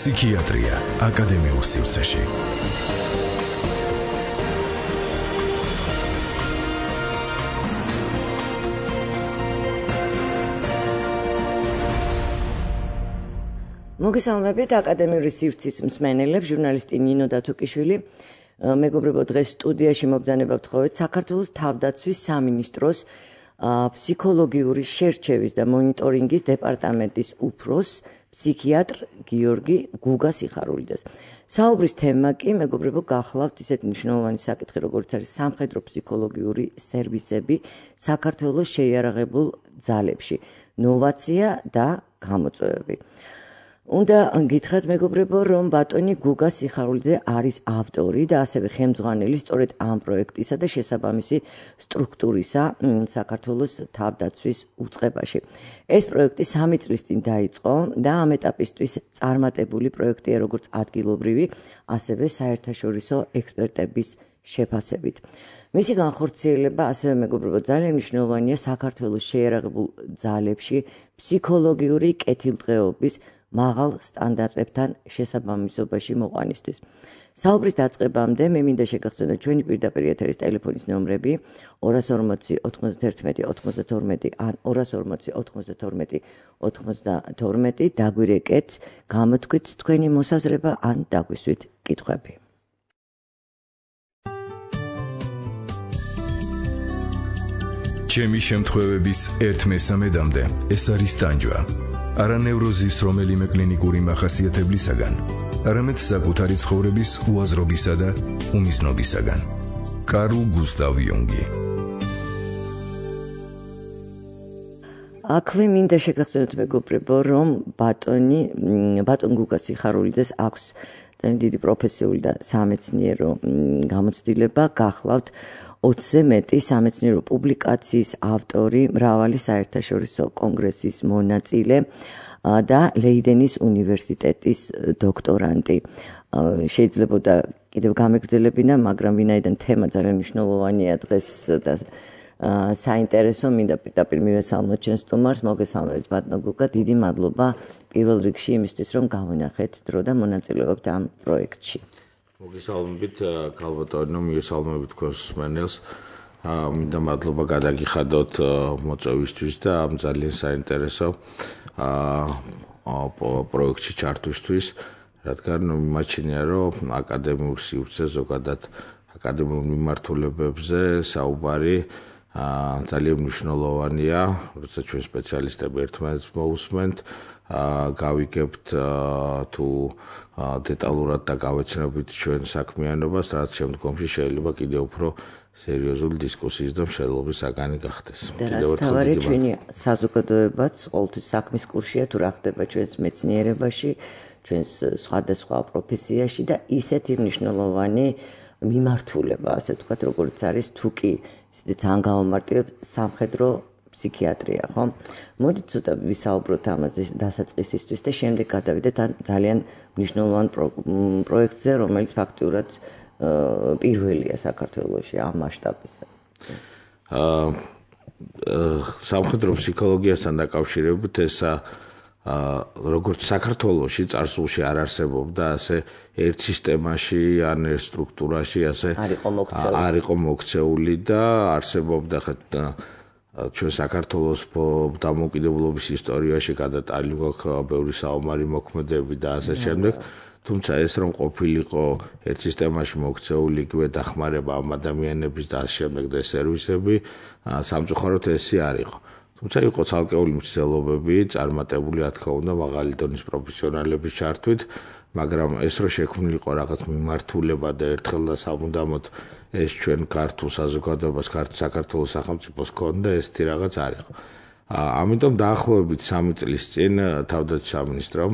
ფსიქიატრია აკადემიურ სივრცეში. მოგესალმებით აკადემიური სივრცის მსმენელებს, ჟურნალისტი ნინო დათუკიშვილი. მეგობრებო, დღეს სტუდიაში მობრძანებავთ ხოვეთ საქართველოს თავდაცვის სამინისტროს ფსიქოლოგიური შერჩევის და მონიტორინგის დეპარტამენტის უფროს ფსიქიატრ გიორგი გუგას სიხარულიძეს. საუბრის თემა კი, მეგობრებო, გახლავთ ისეთი მნიშვნელოვანი საკითხი, როგორც არის სამხედრო ფსიქოლოგიური სერვისები საქართველოს შეიარაღებულ ძალებში, ნოვაცია და გამოწვევები. უნდა გითხრათ, მეგობრებო, რომ ბატონი გუგა სიხარულიძე არის ავტორი და ასევე ხელმძღვანელი სწორედ ამ პროექტისა და შესაბამისი სტრუქტურისა საქართველოს თავდაცვის უწყებაში. ეს პროექტი 3 წლის წინ დაიწყო და ამ ეტაპისთვის წარმატებული პროექტია როგორც ადგილობრივი, ასევე საერთაშორისო ექსპერტების შეფასებით. მისი განხორციელება, ასევე მეგობრებო, ძალიან მნიშვნელოვანია საქართველოს შეიარაღებულ ძალებში ფსიქოლოგიური კეთილდღეობის მაღალ სტანდარტებთან შესაბამისობაში მოყვანისთვის. საუბრის დაწყებამდე მე მინდა შეგახსენოთ ჩვენი პირდაპირ ეთერის ტელეფონის ნომრები 240 91 92 ან 240 92 92. დაგვირეკეთ, გამოთქვით თქვენი მოსაზრება ან დაგვისვით კითხვები. ჩემი შემთხვევების 1/3-მდე ეს არის ტანჯვა. არა ნევროზის რომელიმე კლინიკური მახასიათებლისაგან, არამედ საკუთარი ცხოვრების უაზრობისა და უმიზნობისაგან. კარლ გუსტავ იუნგი. აქვე მინდა შეგახსენოთ, მეგობრებო, რომ ბატონ გუგა სიხარულიძეს აქვს ძალიან დიდი პროფესიული და სამეცნიერო გამოცდილება, გახლავთ 20-ზე მეტი სამეცნიერო პუბლიკაციის ავტორი, მრავალი საერთაშორისო კონგრესის მონაწილე და ლეიდენის უნივერსიტეტის დოქტორანტი. შეიძლებოდა კიდევ გამეგრძელებინა, მაგრამ ვინაიდან თემა ძალიან მნიშვნელოვანია დღეს და საინტერესო, მინდა პირდაპირ მივესალმოთ ჩვენ სტუმარს. მოგესალმებით, ბატონო გუგა, დიდი მადლობა პირველ რიგში იმისთვის, რომ გავინახეთ დრო და მონაწილეობთ ამ პროექტში. მოგესალმებით, ქალბატონო, მიგესალმებით თქვენს მსმენელს. მინდა მადლობა გადაგიხადოთ მოწვევისთვის და ამ ძალიან საინტერესო პროექტში ჩართვისთვის, რადგან მიმაჩნია, რომ აკადემიურ სივრცეზე, ზოგადად აკადემიურ მიმართულებებზე საუბარი ძალიან მნიშვნელოვანია, როცა ჩვენ სპეციალისტები ერთმანეთს მოусმენთ, გავიგებთ თუ დეტალურად და გავეცნობით ჩვენ საქმიანობას, რაც შემდგომში შეიძლება კიდევ უფრო სერიოზული დისკუსიის და მშენებლობის საგანი გახდეს. და რაც თავარია, ჩვენი საზოგადოებაც ყოველთვის საქმის კურსია თუ რა ხდება ჩვენს მეცნიერებაში, ჩვენს სხვადასხვა პროფესიაში და ისეთი მნიშვნელოვანი მიმართულება, ასე ვთქვათ, როგორც არის თუ კი ისეთი ძალიან გამომარტივებ სამხედრო ფსიქიატრია, ხო? მოდით ცოტა ვისაუბროთ ამაზე დასაწყისისთვის და შემდეგ გადავიდეთ ამ ძალიან მნიშვნელოვან პროექტზე, რომელიც ფაქტიურად პირველია საქართველოში ამ მასშტაბისა. სამხედრო ფსიქოლოგიასთან დაკავშირებით ეს როგორც საქართველოში წარსულში არ არსებობდა, ასე ერთ სისტემაში ან ერთ სტრუქტურაში ასე არ იყო მოქცეული და არსებობდა ჩვენ საქართველოს დამოუკიდებლობის ისტორიაში გადატანილი გვაქვს ბევრი საომარი მოქმედებები და ასე შემდეგ. თუმცა ეს რომ ყოფილიყო ერთ სისტემაში მოქცეული იგივე დახმარება ამ ადამიანების და ასე შემდეგ და სერვისები, სამწუხაროდ ესე არ იყო. თუმცა იყო ცალკეული მცდელობები წარმატებული, რა თქმა უნდა, მაღალი დონის პროფესიონალების ჩართვით, მაგრამ ეს რო შექმნილიყო რაღაც მიმართულება და ერთხელ და სამუდამოდ ეს ჩვენ ქართულ საზოგადოებას, საქართველოს სახელმწიფოს ჰქონდა ესეთი რაღაც არ იყო. ამიტომ დაახლოებით 3 წლის წინ თავდაცვის სამინისტრომ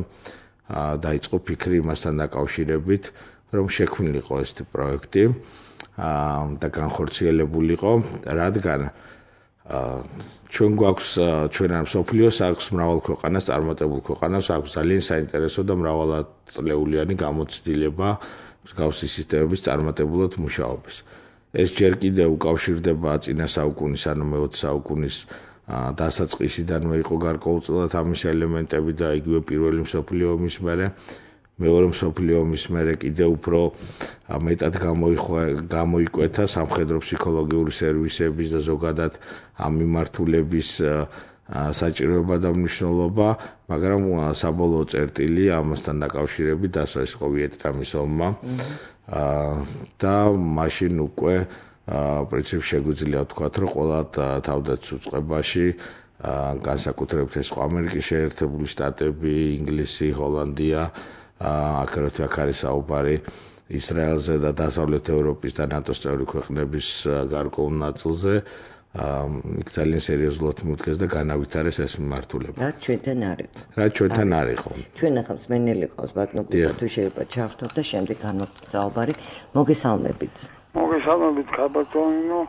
დაიწყო ფიქრი იმასთან დაკავშირებით, რომ შექმნილიყო ესეთი პროექტი და განხორციელებულიყო, რადგან ჩვენ გვაქვს, ჩვენ ამ სოფლიოს აქვს მრავალ ქვეყანას, წარმატებულ ქვეყანას აქვს ძალიან საინტერესო და მრავალწლეულიანი გამოცდილება მსგავსი სისტემების წარმატებულად მუშაობის. ეს ჯერ კიდევ უკავშირდება წინა საუკუნის, ანუ მე-20 საუკუნის დასაწყისიდანვე იყო გარკვეულწილად ამის ელემენტები და იგივე პირველი მსოფლიო ომის მერე მეორე მსოფლიო ომის მერე კიდევ უფრო მეტად გამოიკვეთა სამხედრო ფსიქოლოგიური სერვისების და ზოგადად ამ მიმართულების საჭიროება და მნიშვნელობა, მაგრამ საბოლოო წერტილი ამასთან დაკავშირებით დასვა ის იყო ვიეტნამის ომმა და მაშინ უკვე პრინციპში შეგვიძლია ვთქვათ, რომ ყველა თავდაცვის უწყებაში განსაკუთრებით ეს ამერიკის შეერთებული შტატები, ინგლისი, ჰოლანდია, აქ არის საუბარი ისრაელზე და დასავლეთ ევროპის და ნატოს წევრი ქვეყნების გარკვეულ ნაწილზე იქ ძალიან სერიოზულად მიუდგეს და განავითარეს ეს მიმართულება. რაც ჩვენთან არ იყო. რაც ჩვენთან არ იყო. ჩვენ ახლა მსმენელი ყავს ბატონო გუგა თუ შეიძლება ჩავრთოთ და შემდეგ განვაგრძელოთ საუბარი. მოგესალმებით. მოგესალმებით ქაბატონო.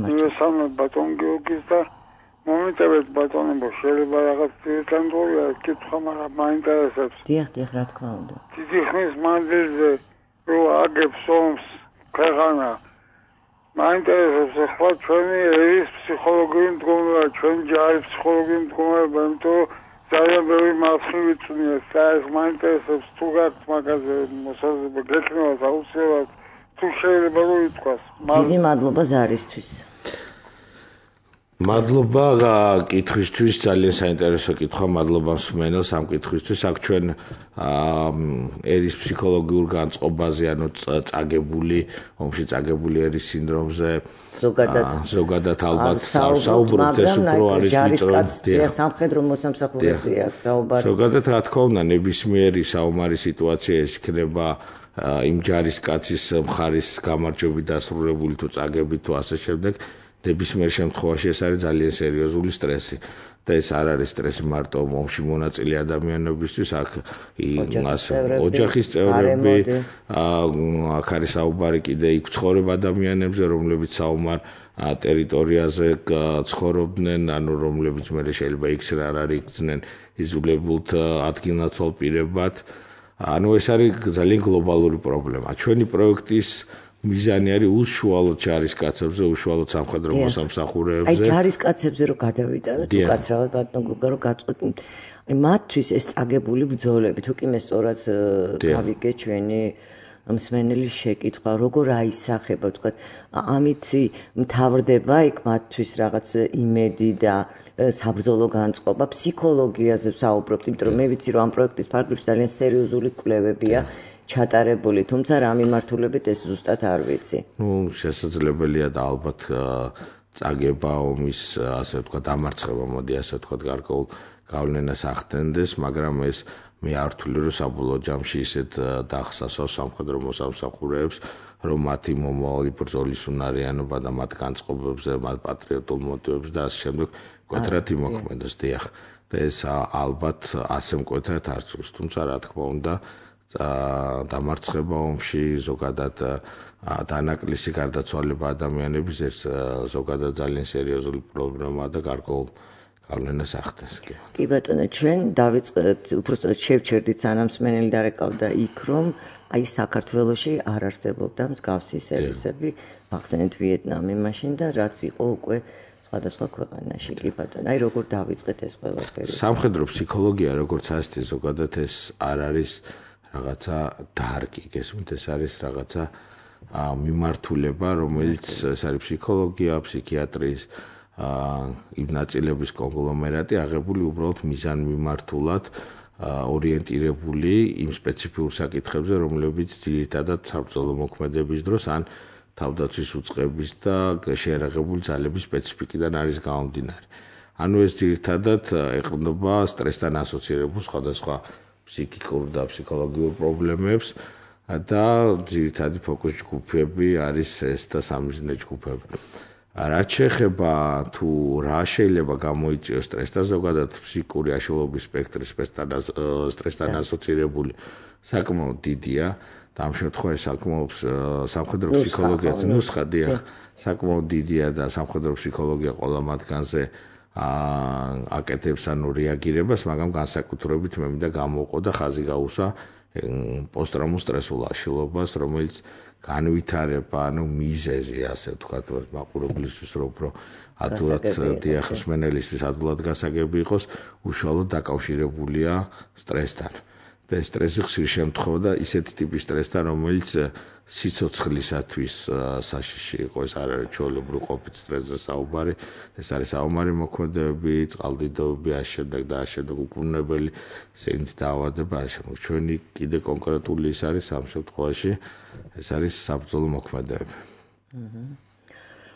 მოგესალმებით ბატონ გიორგის და მომიტევეთ ბატონებო შეიძლება რაღაც დეტალურია კითხვა, მაგრამ მაინტერესებს. დიახ, რა თქმა უნდა. დიდი ხნის მანძილზე რო აგებს ომს ქვეყანა მაინტერესებს ახლა ჩვენი ერის ფსიქოლოგიური მდგომარეობა, ჩვენი ჯარის ფსიქოლოგიური მდგომარეობა, იმიტომ რომ ძალიან ბევრი მასშტაბი წვნია. საერთოდ მაინტერესებს თუ გაქვთ მაგაზე მოსაზრება, გექნებათ აუცილებლად თუ შეიძლება რომ ითქვას. დიდი მადლობა ზარისთვის. მადლობა კითხვისთვის, ძალიან საინტერესო კითხვა, მადლობა მსმენელს ამ კითხვისთვის. აქ ჩვენ ერის ფსიქოლოგიურ განწყობაზე, ანუ ომში წაგებული ერის სინდრომზე ზოგადად ალბათ საუბრობთ, ეს უფრო არის ვიწრო სამხედრო მოსამსახურეზე აქ საუბარი. ზოგადად რა თქმა უნდა, ნებისმიერი საომარი სიტუაცია ეს იქნება იმ ჯარისკაცის მხარის გამარჯვებით დასრულებული თუ წაგებით თუ ასე შემდეგ. ნებისმიერ შემთხვევაში ეს არის ძალიან სერიოზული სტრესი და ეს არ არის სტრესი მარტო ომში მონაწილე ადამიანებისთვის, აქ ოჯახის წევრები, აქ არის საუბარი კიდე იქ ცხოვრებ ადამიანებზე, რომლებიც საომარ ტერიტორიაზე ცხოვრობდნენ, ანუ რომლებიც მე შეიძლება იქ არ არიქცნენ იზოლებულთ ადგილნაცვალ პირებად. ანუ ეს არის ძალიან გლობალური პრობლემა. ჩვენი პროექტის მიზანი არის უშუალოდ ჯარისკაცებზე, უშუალოდ სამხედრო მოსამსახურეებზე. აი ჯარისკაცებზე რო გადავიტანოთ, უკაცრავად ბატონ გუგა რო გაწყვეტნით. აი მათთვის ეს წაგებული ბრძოლები, თუ კი მე სწორად გავიგე ჩვენი მსმენელის შეკითხვა, როგორ აისახება, ვთქვათ, ამით მთავრდება იქ მათთვის რაღაც იმედი და საბრძოლო განწყობა, ფსიქოლოგიაზე ვსაუბრობთ, იმიტომ რომ მე ვიცი რომ ამ პროექტის ფარგლებში ძალიან სერიოზული კვლევებია ჩატარებული, თუმცა რა მიმართულებით ეს ზუსტად არ ვიცი. შესაძლებელია და ალბათ წაგება ომის, ასე ვთქვათ, დამარცხება, მოდი ასე ვთქვათ, გარკვეულ გავლენას ახდენდეს, მაგრამ ეს მე არ ვთვლი, რომ საბოლოო ჯამში ისეთ დახსასავს სამხედრო მოსამსახურეებს, რომ მათი მომავალი ბრძოლის უნარიანობა და მათ განწყობებზე, მათ პატრიოტულ მოტივებს და ასე შემდეგ მკვეთრად იმოქმედოს. დიახ, და ეს ალბათ ასე მკვეთრად არ წვს, თუმცა რა თქმა უნდა დამარცხება ომში, ზოგადად დანაკლისი გარდაცვალება ადამიანების ეს ზოგადად ძალიან სერიოზული პრობლემაა და გარკვეულ გავლენას ახდენს. კი ბატონო, ჩვენ დავიწყეთ, უბრალოდ შევჩერდით სანამ მსმენელი დარეკავდა იქ, რომ აი საქართველოში არ არსებობდა მსგავსი სერვისები, ახსენეთ ვიეტნამი მაშინ და რაც იყო უკვე სხვადასხვა ქვეყანაში. კი ბატონო, აი როგორ დავიწყეთ ეს ყველაფერი? სამხედრო ფსიქოლოგია, როგორც ასეთი, ზოგადად ეს არ არის რაღაცა დარგი, გესმით, ეს არის რაღაცა მიმართულება, რომელიც ეს არის ფსიქოლოგია, ფსიქიატრიის იმ ნაწილების კონგლომერატი, აღებული უბრალოდ მიზანმიმართულად ორიენტირებული იმ სპეციფიურ საკითხებზე, რომლებიც ძირითადად საბრძოლო მოქმედების დროს ან თავდაცვის უწყების და შეერაღებული ძალების სპეციფიკიდან არის გამომდინარე. ანუ ეს ძირითადად ეყრდნობა სტრესთან ასოცირებულ სხვადასხვა ფსიქიკურ და ფსიქოლოგიურ პრობლემებს და ძირითადი ფოკუს ჯგუფები არის ეს და სამიზნე ჯგუფები. რაც შეეხება თუ რა შეიძლება გამოიწვიოს სტრესს და ზოგადად ფსიქიკური აშლილობის სპექტრი სტრესთან ასოცირებული საკმაოდ დიდია და ამ შემთხვევაში საკმაოდ სამხედრო ფსიქოლოგიაც ნუსხა დიახ საკმაოდ დიდია და სამხედრო ფსიქოლოგია ყველა მათგანზე აკეთებს ანუ რეაგირებას, მაგრამ განსაკუთრებით მე მინდა გამოვყო და ხაზი გაუსვა პოსტტრაუმულ სტრესულ აშლილობას, რომელიც განვითარება, ანუ მიზეზი, ასე ვთქვათ, მაყურებლისთვის რო უფრო ადვილად დიახ მსმენელისთვის ადვილად გასაგები იყოს, უშუალოდ დაკავშირებულია სტრესთან. და სტრესი ხშირ შემთხვევა და ისეთი ტიპის სტრესთან, რომელიც სიცოცხლისათვის საშიში იყო, ეს არ არის ჩვეულებრივ ყოფით სტრესზე საუბარი, ეს არის საომარი მოქმედებები, წყალდიდობები, ამავდროულად უკუნებელი სენით დაავადება, ამავდროულად ჩვენი კიდე კონკრეტული ის არის ამ შემთხვევაში, ეს არის საბრძოლო მოქმედებები.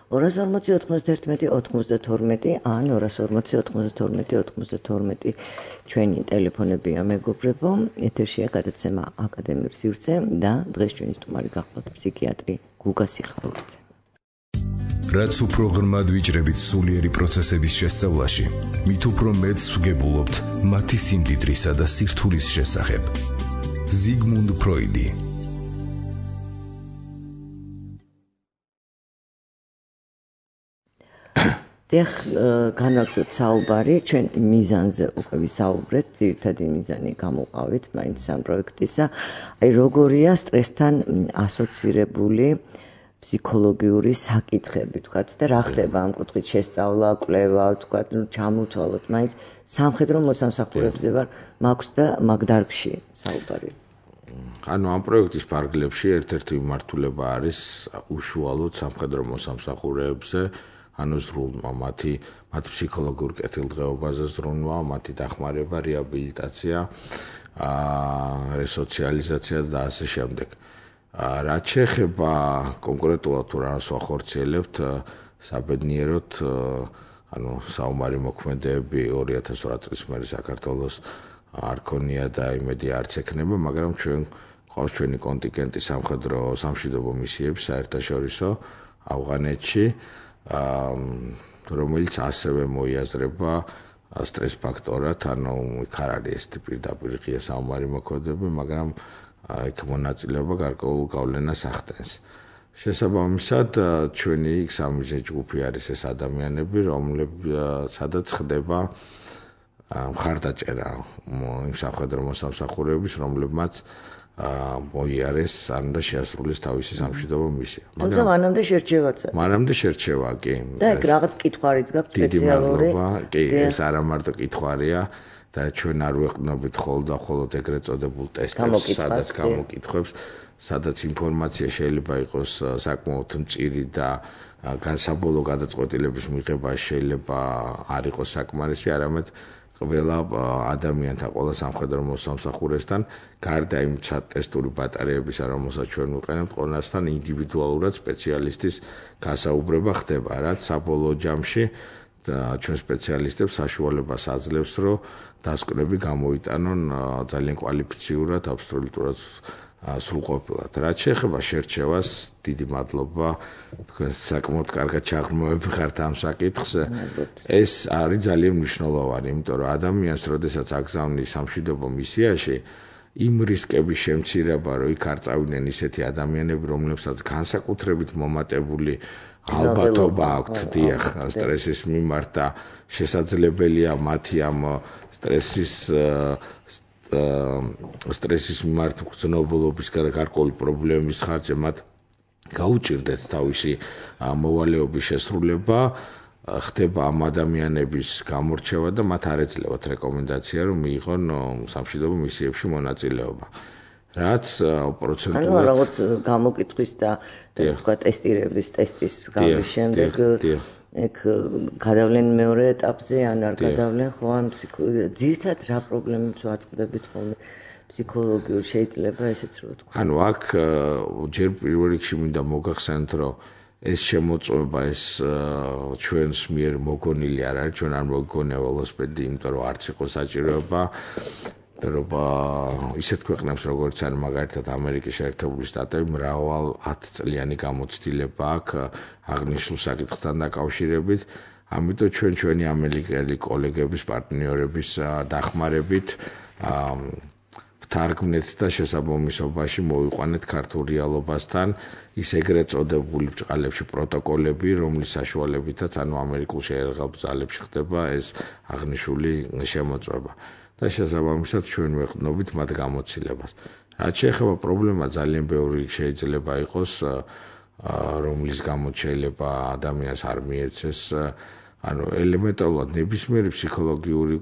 240-91-92 ან 240-92-92 ჩვენი ტელეფონებია მეგობრებო, ეთერშია გადაცემა აკადემიური სივრცე და დღეს ჩვენი სტუმარი გახლავთ ფსიქიატრი გუგა სიხარულიძე. რაც უფრო ღრმად ვიჭრებით სულიერი პროცესების შესწავლაში, მით უფრო მეტს ვგებულობთ მათი სიმდიდრისა და სირთულის შესახებ. ზიგმუნდ ფროიდი. დიახ, განვაგრძოთ საუბარი, ჩვენ მიზანზე უკვე ვისაუბრეთ, ძირითადი მიზანი გამოვყავით მაინც ამ პროექტისა. აი როგორია სტრესთან ასოცირებული ფსიქოლოგიური საკითხები, თქვათ და რა ხდება ამ კუთხით შესწავლა, კვლევა, თქვათ, ჩამოთვალოთ, მაინც სამხედრო მოსამსახურებზე ვარ, მაქვს და მაგ დარგში საუბარი. ანუ ამ პროექტის ფარგლებში ერთ-ერთი მიმართულება არის უშუალოდ სამხედრო მოსამსახურეებზე, ანუ ზრუნვა მათი ფსიქოლოგიურ კეთილდღეობაზე ზრუნვა, მათი დახმარება, რეაბილიტაცია, რესოციალიზაცია და ასე შემდეგ. რაც შეეხება კონკრეტულად თუ რას ვახორციელებთ საბედნიეროდ, ანუ საომარი მოქმედებები 2008 წლის მერე საქართველოს არ ქონია და იმედი არც ექნება, მაგრამ ჩვენ ყავს ჩვენი კონტინგენტი სამხედრო სამშვიდობო მისიები საერთაშორისო ავღანეთში, რომელიც ასევე მოიაზრება სტრეს ფაქტორად, ანუ იქ არ არის ეს პირდაპირ ღია საომარი მოქმედებები, მაგრამ იქ მონაწილეობა გარკვეულ გავლენას ახდენს. შესაბამისად, ჩვენი სამიზნე ჯგუფი არის ეს ადამიანები, სადაც ხდება მხარდაჭერა იმ სამხედრო მოსამსახურეების, რომლებმაც მოიარეს ან და შეასრულეს თავისი სამშვიდობო მისია. თუმცა მანამდე შერჩევაც არის. მანამდე შერჩევა კი. და ეგ რაღაც კითხვარიც გაქვს სპეციალური. კი, ეს არა მარტო კითხვარია და ჩვენ არ ვეყნობით ხოლმე ეგრეთ წოდებულ ტესტებს, სადაც გამოკითხვებს, სადაც ინფორმაცია შეიძლება იყოს საკმაოდ მწირი და საბოლოო გადაწყვეტილების მიღება შეიძლება არ იყოს საკმარისი, არამედ ყველა ადამიანთა, ყველა სამხედრო მოსამსახურესთან, გარდა იმ ტესტური ბატარეების, რომელსაც ჩვენ ვიყენებთ, ყველასთან ინდივიდუალურად სპეციალისტის გასაუბრება ხდება, რაც საბოლოო ჯამში ჩვენ სპეციალისტებს საშუალებას აძლევს, რომ დასკვნები გამოიტანონ ძალიან კვალიფიციურად, აბსოლუტურად სრულყოფილად. რაც შეეხება შერჩევას, დიდი მადლობა, თქვენ საკმაოდ კარგად ჩაღრმავები ხართ ამ საკითხს. ეს არის ძალიან მნიშვნელოვანი, იმიტომ რომ ადამიანს, როდესაც აგზავნის სამშვიდობო მისიაში, იმ რისკების შემცირება, რომ იქ არ წავიდნენ ისეთი ადამიანები, რომლებსაც განსაკუთრებით მომატებული ალბათობა აქვთ დიახ სტრესის მიმართ და შესაძლებელია მათი ამ სტრესის მიმართ გრძნობულობის გარკვეული პრობლემის ხარჯზე მათ გაუჭირდეთ თავისი მოვალეობის შესრულება, ხდება ამ ადამიანების გამორჩევა და მათ არ ეძლევათ რეკომენდაცია, რომ მიიღონ სამშვიდობო მისიებში მონაწილეობა. რაც პროცენტულად ანუ რაღაც გამოკითხვის და თქვა ტესტირების ტესტის გავლის შემდეგ ეგ გადავლენ მეორე ეტაპზე ან არ გადავლენ ხო ან ძირითადად რა პრობლემებს ვაწყდებით ხოლმე ფსიქოლოგიურ შეიძლება ესეც რო თქვა. ანუ აქ ჯერ პირველ რიგში მინდა მოგახსენოთ, რომ ეს შემოწმება ეს ჩვენს მიერ მოგონილი არ არის, ჩვენ არ მოგონია ველოსიპედი, იმიტომ რომ არც იყო საჭიროება ისეთ ქვეყნებს როგორც არის მაგალითად ამერიკის შეერთებული შტატები მრავალ 10 წლიანი გამოცდილება აქვს აღნიშნულ საკითხთან დაკავშირებით, ამიტომ ჩვენი ამერიკელი კოლეგების, პარტნიორების დახმარებით ვთარგმნეთ და შესაბამისობაში მოვიყვანეთ ქართულ რეალობასთან ის ეგრეთ წოდებული ბჭყალებში პროტოკოლები, რომლის საშუალებითაც ანუ ამერიკულ შეერაღავ ძალებში ხდება ეს აღნიშნული შემოწმება. და შესაბამისად ჩვენ ვეყნობით მათ გამოცდილებას. რაც შეეხება პრობლემა ძალიან ბევრი შეიძლება იყოს, რომლის გამოც შეიძლება ადამიანს არ მიეცეს ანუ ელემენტარულად ნებისმიერი ფსიქოლოგიური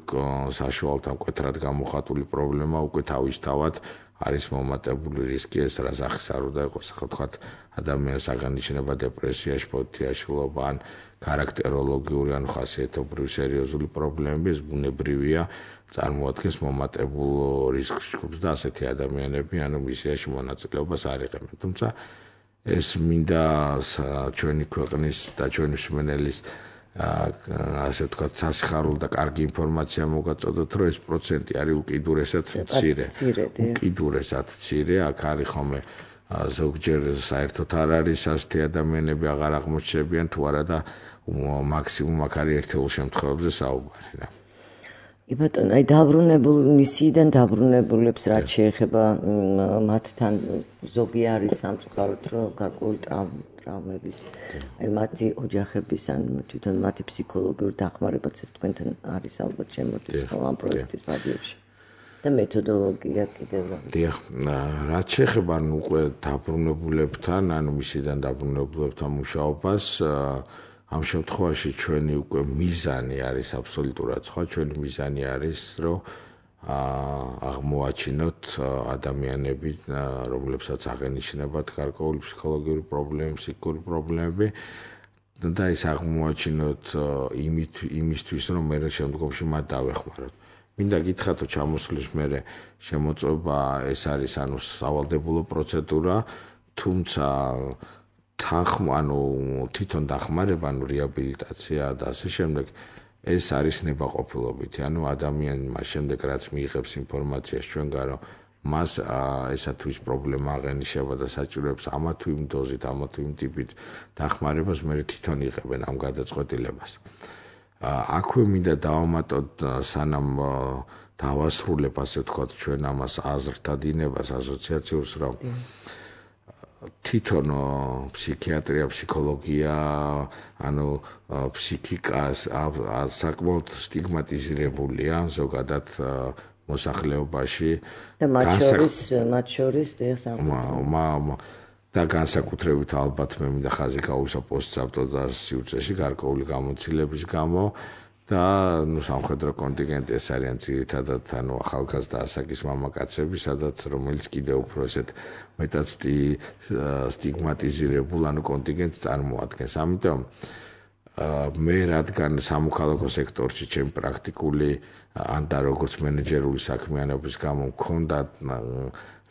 საშუალებთან მკვეთრად გამოხატული პრობლემა უკვე თავისთავად არის მომატებული რისკი ეს რა სახის არ უნდა იყოს, ხო თქვათ ადამიანს აღანიშნება დეპრესიაში, ფოთიაშლობა ან ქარაქტეროლოგიური ან ხასიათობრივი სერიოზული პრობლემები, ეს ბუნებრივია, წარმოადგენს მომატებულ რისკ ჯგუფს და ასეთი ადამიანები ანუ მისიაში მონაწილეობას არ იღებენ. თუმცა ეს მინდა ჩვენი ქვეყნის და ჩვენი მსმენელის ასე ვთქვათ სასიხარულო და კარგი ინფორმაცია მოგაწოდოთ, რომ ეს პროცენტი არის უკიდურესად მცირე. უკიდურესად მცირე, აქ არის ხოლმე ზოგჯერ საერთოდ არ არის ასეთი ადამიანები აღარ აღმოჩნდებიან თუ არა და მაქსიმუმ აქ არის ერთეულ შემთხვევებზე საუბარი რა. ბატონო, აი დაბრუნებულ მისიიდან დაბრუნებულებს რაც შეეხება მათთან ზოგი არის სამწუხაროდ რომ გარკვეული ტრავმების აი მათი ოჯახების ან თვითონ მათი ფსიქოლოგიური დახმარებაც ეს თქვენთან არის ალბათ შემოდის ხო ამ პროექტის ფარგლებში და მეთოდოლოგია კიდევ რა. დიახ, რაც შეეხება ანუ უკვე დაბრუნებულებთან, ანუ მისიდან დაბრუნებულებთან მუშაობას ამ შემთხვევაში ჩვენი უკვე მიზანი არის აბსოლუტურად სხვა, ჩვენი მიზანი არის, რომ აღმოაჩინოთ ადამიანები, რომლებსაც აღენიშნებათ გარკვეული ფსიქოლოგიური პრობლემები, ფსიქიკური პრობლემები და ეს აღმოაჩინოთ იმისთვის, რომ მე შემდგომში მათ დავეხმაროთ. მინდა გითხრათ, რომ ჩამოსვლის მერე შემოწმება ეს არის ანუ სავალდებულო პროცედურა, თუმცა თვითონ დახმარება, ანუ რეაბილიტაცია და ასე შემდეგ, ეს არის ნებაყოფილობითი. ანუ ადამიანი მას შემდეგ, რაც მიიღებს ინფორმაციას ჩვენგან, რომ მას ესა თუ ის პრობლემა აღენიშნება და საჭიროებს ამა თუ იმ დოზით, ამა თუ იმ ტიპით დახმარებას, მე თვითონ იღებენ ამ გადაწყვეტილებას. აქვე მინდა დავამატოთ, სანამ დავასრულებ, ასე ვთქვათ, ჩვენ ამას აზრთა დინებას, ასოციაციურს, რომ თვითონ ფსიქიატრია, ფსიქოლოგია, ანუ ფსიქიკას საკმაოდ სტიგმატიზირებულია ზოგადად მოსახლეობაში და მათ შორის და განსაკუთრებით ალბათ მე მინდა ხაზი გავუსვა პოსტსაბჭოთა სივრცეში გარკვეული გამოცდილების გამო და სამხედრო კონტინგენტი ეს არიან ძირითადად ანუ ახალგაზრდა ასაკის მამაკაცები, სადაც რომელიც კიდევ უფრო ესეთ მეტად სტიგმატიზირებულ ანუ კონტინგენტს წარმოადგენს. ამიტომ მე რადგან სამოქალაქო სექტორში ჩემი პრაქტიკული ან და როგორც მენეჯერული საქმიანობის გამო მქონდა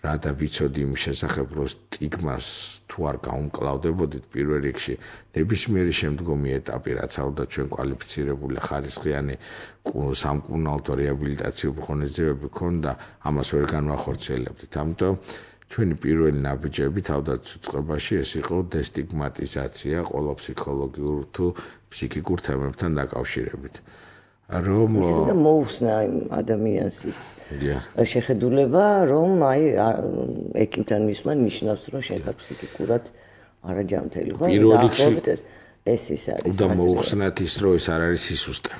რა და ვიცოდი იმ შესახებ, რომ სტიგმას თუ არ გაუმკლავდებოდით პირველ რიგში ნებისმიერი შემდგომი ეტაპი, რაც არ უნდა ჩვენ კვალიფიცირებული ხარისხიანი სამკურნალო რეაბილიტაციური ღონისძიებები ქონდა, ამას ვერ განვახორციელებდით. ამიტომ ჩვენი პირველი ნაბიჯები თავდაცვითწყობაში ეს იყო დესტიგმატიზაცია ყველა ფსიქოლოგიურ თუ ფსიქიკურ თემებთან დაკავშირებით. რომ მოუხსნა ადამიანს ის შეხედულება, რომ აი ეკიმთან მისვლა ნიშნავს, რომ შეხარ ფსიქიკურად არაჯანმრთელი, ხო? დაახლოებით ეს ის არის. და მოუხსნათ ის, რომ ეს არ არის სისუსტე.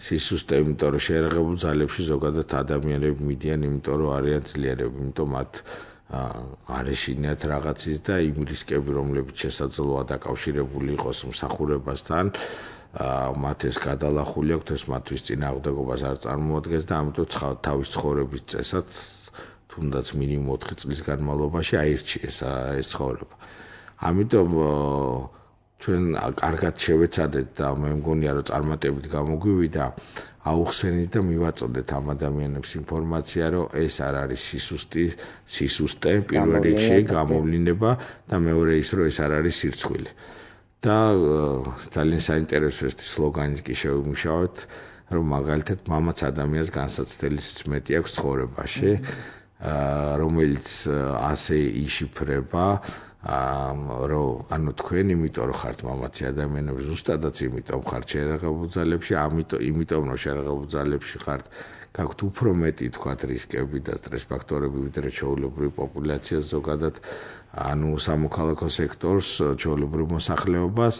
სისუსტე, იმიტომ რომ შეერაღებულ ძალებში ზოგადად ადამიანები მიდიან, იმიტომ რომ არიან ძლიერები, იმიტომ მათ არ ეშინიათ რაღაცის და იმ რისკები, რომლებიც შესაძლოა დაკავშირებული იყოს მსახურებასთან, მათ ეს გადალახული აქვთ, ეს მათთვის წინააღმდეგობას არ წარმოადგენს და ამიტომ თავის ცხოვრების წესად თუნდაც მინიმუმ 4 წლის განმავლობაში აირჩიეს ეს ცხოვრება. ამიტომ ჩვენ კარგად შევეცადეთ და მე მგონია რომ წარმატებით გამოგვივიდა აუხსენით და მივაწოდეთ ამ ადამიანებს ინფორმაცია, რომ ეს არ არის სისუსტე, პირველ რიგში გამოვლინება და მეორე ის, რომ ეს არ არის სირცხვილი. და ძალიან საინტერესო ეს სლოგანიც კი შევიმუშავეთ, რომ მაგალითად მამაც ადამიანს განსაცდელი სიწმეტი აქვს ცხოვრებაში, რომელიც ასე იშიფრება, რომ ანუ თქვენ იმიტომ რომ ხართ მამაცი ადამიანები, ზუსტადაც იმიტომ ხართ შეერაღებულ ძალებში, იმიტომ რომ შეერაღებულ ძალებში ხართ, გაქვთ უფრო მეტი თქვათ რისკები და სტრეს ფაქტორები, ვიდრე ჩვეულებრივი პოპულაცია ზოგადად, ანუ სამოქალაქო სექტორს, ჩვეულებრივ მოსახლეობას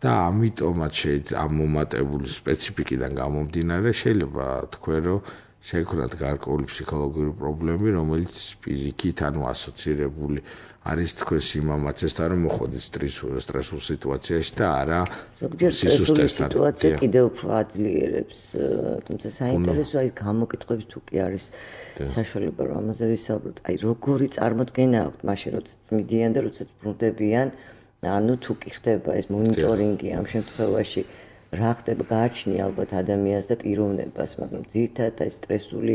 და ამიტომაც შეიძლება ამ მომატებული სპეციფიკიდან გამომდინარე შეიძლება თქვენ რომ შეექმნათ გარკვეული ფსიქოლოგიური პრობლემები, რომელიც პირიქით ანუ ასოცირებული არის თქვენს იმამაცესთან რომ მოხვდეთ სტრესულ სიტუაციაში და არა ზოგჯერ სტრესული სიტუაცია კიდევ უფრო აძლიერებს თუმცა საინტერესოა ის გამოკითხვების თუ კი არის საშუალება რომ ამაზე ვისაუბროთ აი როგორი წარმოდგენა აქვთ მაშინ როდესაც მიდიან და როდესაც ბრუნდებიან ანუ თუ კი ხდება ეს მონიტორინგი ამ შემთხვევაში რა ხდება გააჩნია ალბათ ადამიანს და პიროვნებას მაგრამ ძირითადად აი სტრესული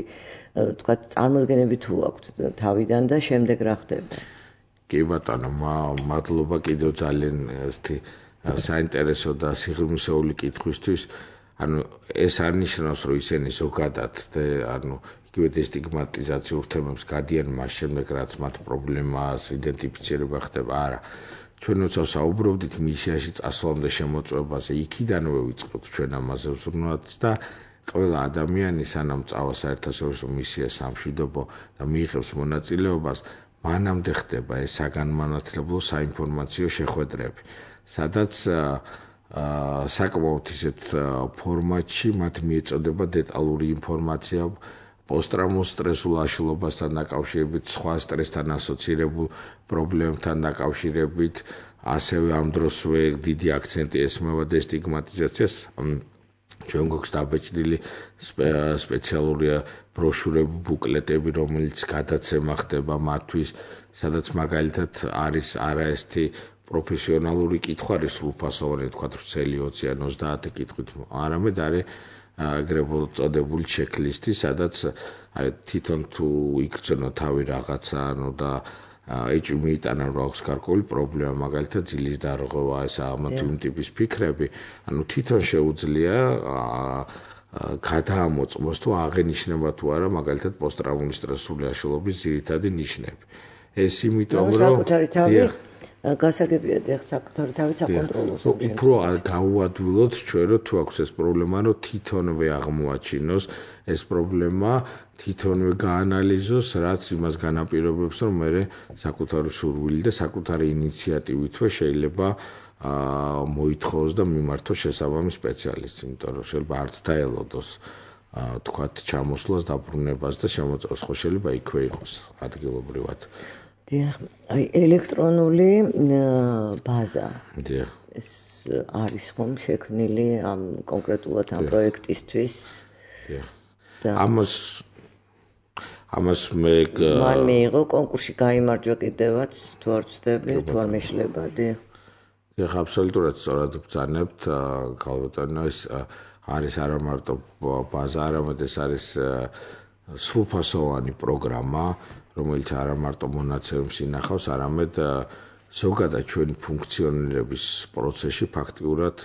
თქვა წარმოდგენები თუ აქვთ თავიდან და შემდეგ რა ხდება კი ბატონო, მადლობა კიდევ ძალიან საინტერესო და სიღრმისეული კითხვისთვის. ანუ ეს არ ნიშნავს, რომ ისინი ზოგადად ანუ იგივე დესტიგმატიზაციურ თემებს გადიან მას შემდეგ, რაც მათ პრობლემას იდენტიფიცირება ხდება. არა. ჩვენ როცა საუბრობდით მისიაში წასვლამდე შემოწმებაზე, იქიდანვე ვიწყებთ ჩვენ ამაზე ვზრუნვათ და ყველა ადამიანი სანამ წავა საერთაშორისო მისიას სამშვიდობო და მიიღებს მონაწილეობას მანამდე ხდება ეს საგანმანათლებლო საინფორმაციო შეხვედრები, სადაც საკმაოდ ისეთ ფორმატში მათ მიეწოდება დეტალური ინფორმაცია პოსტტრაუმატულ სტრესულ აშლილობასთან დაკავშირებით, სხვა სტრესთან ასოცირებულ პრობლემებთან დაკავშირებით, ასევე ამ დროსვე დიდი აქცენტი ესმევა დესტიგმატიზაციას. ჩვენ გვაქვს დაბეჭდილი სპეციალური ბროშურები, ბუკლეტები, რომელიც გადაცემა ხდება მათთვის, სადაც მაგალითად არის არაერთი პროფესიონალური კითხვა, არის სრულფასოვანი, თქვათ, ვრცელი 20 ან 30 კითხვით, არამედ არის აგრეთვე წოდებული ჩეკლისტი, სადაც თვითონ თუ იგრძნო თავი რაღაცა, ანუ და ეჭვი მიიტანა რომ აქვს გარკვეული პრობლემა, მაგალითად ძილის დარღვევა, ეს ამ ტიპის ფიქრები, ანუ თვითონ შეუძლია გადაამოწმოს თუ აღენიშნება თუ არა მაგალითად პოსტტრაუმული სტრესული აშლილობის ძირითადი ნიშნები. ეს იმიტომ რომ საკუთარი თავი გასაგებია და საკუთარი თავი საკონტროლოს. უფრო გაუადვილოთ ჩვენ რომ თუ აქვს ეს პრობლემა, რომ თვითონვე აღმოაჩინოს ეს პრობლემა, თვითონვე გაანალიზოს, რაც იმას განაპირობებს, რომ მე საკუთარი სურვილი და საკუთარი ინიციატივითვე შეიძლება მოითხოვოს და მიმართოს შესაბამის სპეციალისტს, იმიტომ რომ შეიძლება არც დაელოდოს თქვათ ჩამოსვლას, დაბრუნებას და შემოწმებას, ხო შეიძლება იქვე იყოს ადგილობრივად. დიახ, აი ელექტრონული ბაზა. დიახ. ეს არის ხომ შექმნილი ამ კონკრეტულად ამ პროექტისთვის? დიახ. ამას მე მან მიიღო კონკურსში გაიმარჯვა კიდევაც თუ არ ვცდები, თუ არ მეშლება, დიახ. დიახ, აბსოლუტურად სწორად ბრძანებთ, ქალბატონო, ეს არის არა მარტო ბაზა, არამედ ეს არის სრულფასოვანი პროგრამა, რომელიც არა მარტო მონაცემებს ინახავს, არამედ ზოგადად ჩვენი ფუნქციონირების პროცესში ფაქტიურად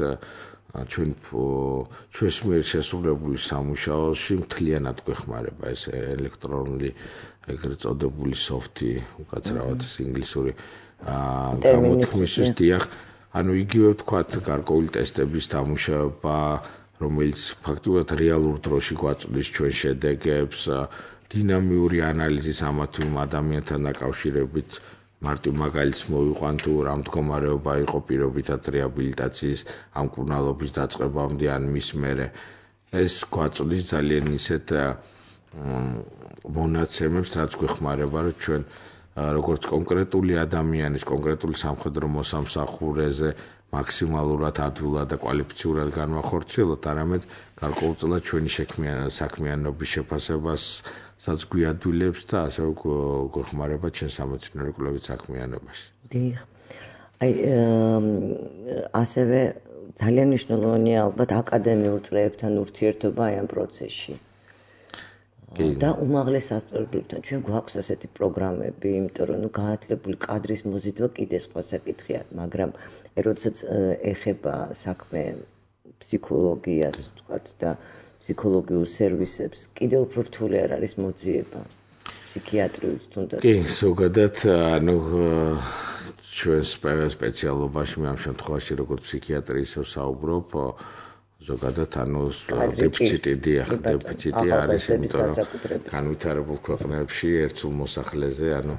ჩვენს მიერ შესრულებული სამუშაოში მთლიანად გვეხმარება ეს ელექტრონული ეგრეთ წოდებული სოფტი, უკაცრავად ინგლისური გამოთქმისთვის, დიახ, ანუ იგივე ვთქვათ, გარკვეული ტესტების დამუშავება, რომელიც ფაქტიურად რეალურ დროში გვაწვდის ჩვენ შედეგებს, დინამიური ანალიზის ამა თუ იმ ადამიანთან დაკავშირებით, მარტო მაგალითს მოვიყვან თუ რა მდგომარეობა იყო პირობითად რეაბილიტაციის ამ მკურნალობის დაწყებამდე ან მის მერე, ეს გვაწვდის ძალიან ისეთ მონაცემებს, რაც გვეხმარება, რომ ჩვენ როგორც კონკრეტული ადამიანის, კონკრეტული სამხედრო მოსამსახურეზე მაქსიმალურად ადვილად და კვალიფიციურად განვახორციელოთ, არამედ გარკვეულწილად ჩვენი საქმიანობის შეფასებასაც გვიადვილებს და ასევე გვეხმარება ჩვენ სამეცნიერო კვლევით საქმიანობაში. დიახ. აი ასევე ძალიან მნიშვნელოვანია ალბათ აკადემიურ წრეებთან ურთიერთობა აი ამ პროცესში. და უმაღლეს სასწავლებლებთან ჩვენ გვაქვს ასეთი პროგრამები, იმიტომ რომ განათლებული კადრის მოზიდვა კიდე სხვა საკითხია, მაგრამ როდესაც ეხება საქმე ფსიქოლოგიას, ვთქვათ და ფსიქოლოგიურ სერვისებს, კიდევ უფრო რთული არ არის მოძიება ფსიქიატრიულს თუნდაც. კი, ზოგადად, ანუ ჩვენ სპეციალობაში ამ შემთხვევაში როგორც ფსიქიატრიის საუბრობ, ზოგადად ანუ დეფიციტი არის, იმიტომ რომ განვითარებულ ქვეყნებში ერთსულ მოსახლეზე, ანუ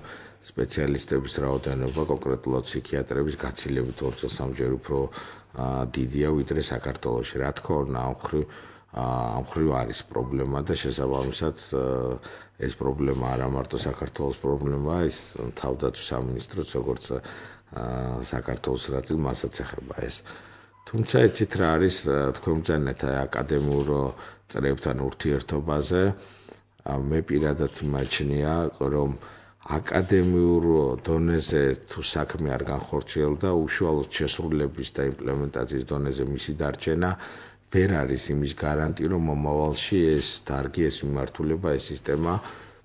სპეციალისტების რაოდენობა, კონკრეტულად ფსიქიატრების გაცილებით 2-3 ჯერ უფრო დიდია ვიდრე საქართველოში. რა თქმა უნდა, ამ მხრივ ამ ხრივ არის პრობლემა და შესაბამისად ეს პრობლემა არა მარტო საქართველოს პრობლემაა, ის თავდაცვის სამინისტროს როგორც საქართველოს რატი მასაც ეხება ეს. თუმცა იცით რა არის თქვენ ბრძანეთ აკადემიურ წრეებთან ურთიერთობაზე, მე პირადად იმაჩნია, რომ აკადემიურ დონეზე თუ საქმე არ განხორციელდა, უშუალოდ შესრულების და იმპლემენტაციის დონეზე მისი დარჩენა ვერ არის იმის გარანტი, რომ მომავალში ეს დარგი, ეს მიმართულება, ეს სისტემა